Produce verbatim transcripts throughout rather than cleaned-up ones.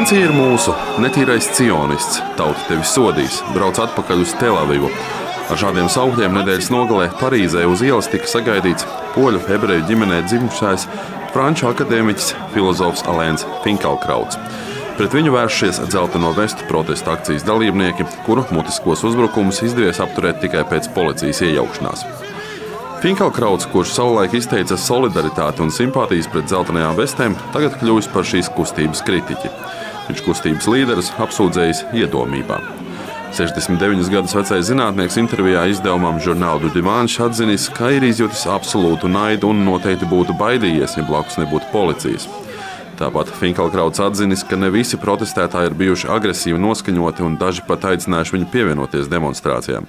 Francija ir mūsu, netīrais cionists, tauta tevi sodīs, brauc atpakaļ uz Telavivu. Ar šādiem saukļiem nedēļas nogalē Parīzē uz ielas tika sagaidīts poļu ebreju ģimenē dzimušais franču akadēmiķis, filozofs Alains Finkielkrauts. Pret viņu vēršies dzelteno vestu protesta akcijas dalībnieki, kuru mutiskos uzbrukumus izdevies apturēt tikai pēc policijas iejaukšanās. Finkielkrauts, kurš savulaik izteica solidaritāti un simpātijas pret dzeltenajām vestēm, tagad kļuvis par šīs kustības kritiķi. Viņš kustības līderis apsūdzējis iedomībā. sešdesmit deviņus gadus vecais zinātnieks intervijā izdevumam Journal du Dimanche atzinis, ka ir izjutis absolūtu naidu un noteikti būtu baidījies, ja blakus nebūtu policijas. Tāpat Finkielkrauts atzinis, ka ne visi protestētāji ir bijuši agresīvi noskaņoti un daži pat aicinājuši viņu pievienoties demonstrācijām.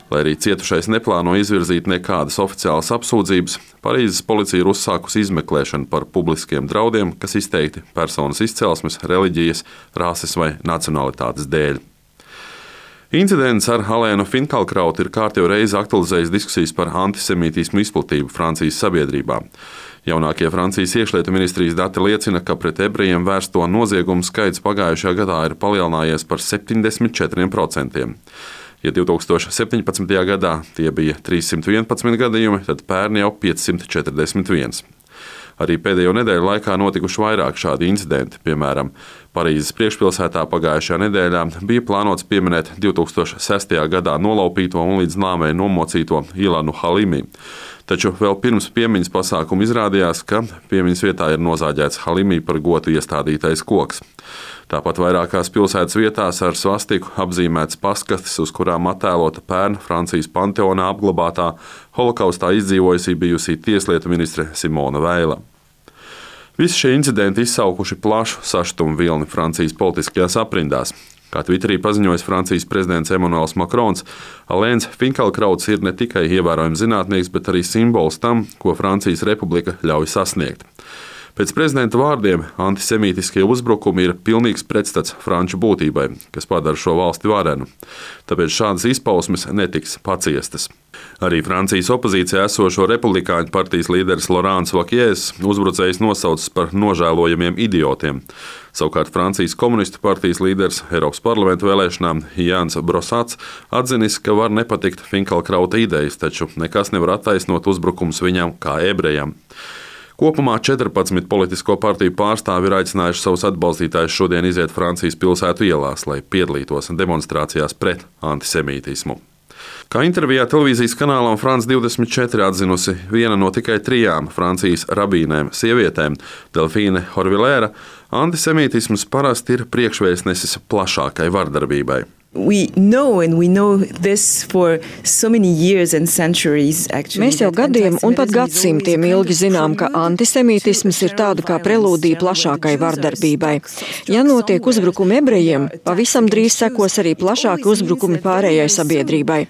Lai arī cietušais neplāno izvirzīt nekādas oficiālas apsūdzības, Parīzes policija ir uzsākusi izmeklēšanu par publiskiem draudiem, kas izteikti personas izcelsmes, reliģijas, rases vai nacionalitātes dēļ. Incidents ar Alainu Finkielkrautu ir kārtējo reizi aktualizējis diskusijas par antisemītismu izplatību Francijas sabiedrībā. Jaunākie Francijas iekšlietu ministrijas dati liecina, ka pret ebrejiem vērsto noziegumu skaits pagājušajā gadā ir palielinājies par septiņdesmit četriem procentiem. Ja divtūkstoš septiņpadsmitajā gadā tie bija trīssimt vienpadsmit gadījumi, tad pērn jau piecsimt četrdesmit viens. Arī pēdējo nedēļu laikā notikuši vairāk šādi incidenti. Piemēram, Parīzes priekšpilsētā pagājušajā nedēļā bija plānots pieminēt divtūkstoš sestajā gadā nolaupīto un līdz nāvei nomocīto Ilanu Halimi. Taču vēl pirms piemiņas pasākuma izrādījās, ka piemiņas vietā ir nozāģēts Halimi par gotu iestādītais koks. Tāpat vairākās pilsētas vietās ar svastiku apzīmēts paskastes, uz kurām attēlota pērn Francijas Panteonā apglabātā holokaustā izdzīvojusī bijusī tieslietu ministre Simona Veila. Visi šie incidenti izsaukuši plašu sašutumu vilni Francijas politiskajās aprindās. Kā Twitterī paziņojis Francijas prezidents Emmanuels Macrons, Alains Finkielkrauts ir ne tikai ievērojams zinātnieks, bet arī simbols tam, ko Francijas republika ļauj sasniegt. Pēc prezidenta vārdiem antisemītiskie uzbrukumi ir pilnīgs pretstats franču būtībai, kas padara šo valsti varenu. Tāpēc šādas izpausmes netiks paciestas. Arī Francijas opozīcijā esošo republikāņu partijas līderis Laurents Wauquiez uzbrucējs nosaucis par nožēlojamiem idiotiem. Savukārt Francijas komunistu partijas līderis Eiropas parlamenta vēlēšanām Jānis Brosats atzinis, ka var nepatikt Finkielkrauta idejas, taču nekas nevar attaisnot uzbrukums viņam kā ebrejam. Kopumā četrpadsmit politisko partiju pārstāvi ir aicinājuši savus atbalstītājus šodien iziet Francijas pilsētu ielās, lai piedalītos demonstrācijās pret antisemītismu. Kā intervijā televīzijas kanālam France divdesmit četri atzinusi viena no tikai trijām Francijas rabīnēm sievietēm, Delfīne Horvilēra, antisemītisms parasti ir priekšvēstnesis plašākai vardarbībai. We know and we know this for so many years and centuries actually. Mēs jau gadiem un pat gadsimtiem ilgi zinām, ka antisemītisms ir tāda kā prelūdija plašākai vardarbībai. Ja notiek uzbrukumi ebrejiem, pavisam drīz sekos arī plašāki uzbrukumi pārējai sabiedrībai.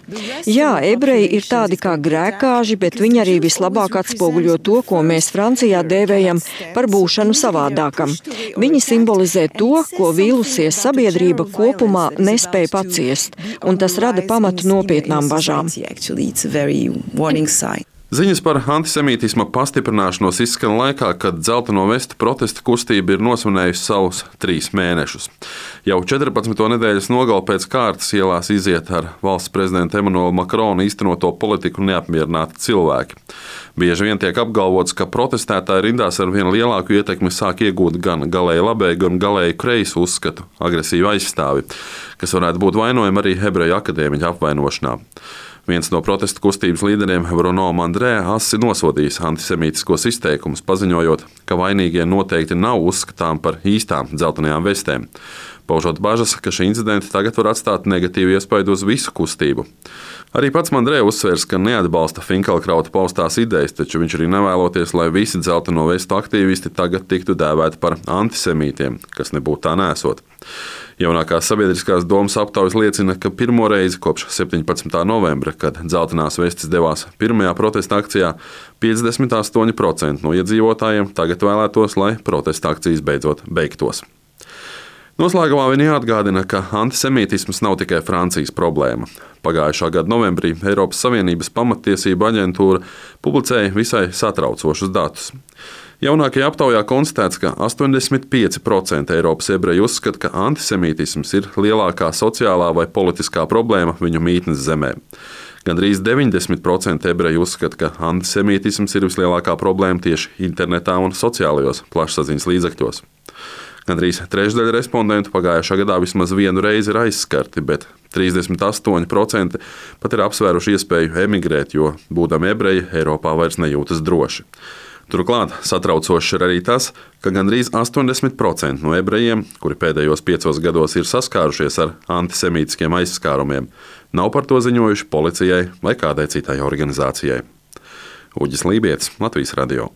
Jā, ebreji ir tādi kā grēkāži, bet viņi arī vislabāk atspoguļo to, ko mēs Francijā dēvējam par būšanu savādākam. Viņi simbolizē to, ko vīlusies sabiedrība kopumā nespēja paciest, un tas rada pamatu nopietnām bažām. Ziņas par antisemītisma pastiprināšanos izskan laikā, kad dzelteno vestu protesta kustība ir nosvinējusi savus trīs mēnešus. Jau četrpadsmito nedēļas nogali pēc kārtas ielās iziet ar valsts prezidenta Emmanuela Macrona īstenoto politiku neapmierināti cilvēki. Bieži vien tiek apgalvots, ka protestētāji rindās ar vien lielāku ietekmi sāk iegūt gan galēji labēju, gan galēji kreisu uzskatu agresīvu aizstāvi, kas varētu būt vainojami arī ebreju akadēmiķu apvainošanā. Viens no protesta kustības līderiem, Bruno Mandrē, asi nosodījis antisemītiskos izteikumus, paziņojot, ka vainīgie noteikti nav uzskatām par īstām dzeltenajām vestēm. Paužot bažas, ka šī incidenta tagad var atstāt negatīvu iespaidu uz visu kustību. Arī pats Mandrē uzsvērs, ka neatbalsta Finkielkrauta paustās idejas, taču viņš arī nevēloties, lai visi dzelteno vestu aktīvisti tagad tiktu dēvēti par antisemītiem, kas nebūtu tā nesot. Jaunākās sabiedriskās domas aptaujas liecina, ka pirmo reizi kopš septiņpadsmitā novembra, kad dzeltenās vestes devās pirmajā protesta akcijā, piecdesmit astoņi procenti no iedzīvotājiem tagad vēlētos, lai protesta akcijas beidzot beigtos. Noslēgumā viņi jāatgādina, ka antisemītisms nav tikai Francijas problēma. Pagājušā gada novembrī Eiropas Savienības pamattiesību aģentūra publicēja visai satraucošus datus. Jaunākajā aptaujā konstatēts, ka astoņdesmit pieci procenti Eiropas ebreju uzskata, ka antisemītisms ir lielākā sociālā vai politiskā problēma viņu mītnes zemē. Gandrīz deviņdesmit procenti ebreju uzskata, ka antisemītisms ir vislielākā problēma tieši internetā un sociālajos plašsaziņas līdzekļos. Gandrīz trešdaļa respondentu pagājušā gadā vismaz vienu reizi ir aizskarti, bet trīsdesmit astoņi procenti pat ir apsvēruši iespēju emigrēt, jo, būdami ebreji, Eiropā vairs nejūtas droši. Turklāt satraucoši ir arī tas, ka gandrīz astoņdesmit procenti no ebrejiem, kuri pēdējos piecos gados ir saskārušies ar antisemītiskiem aizskārumiem, nav par to ziņojuši policijai vai kādai citai organizācijai. Uģis Lībietis, Latvijas radio.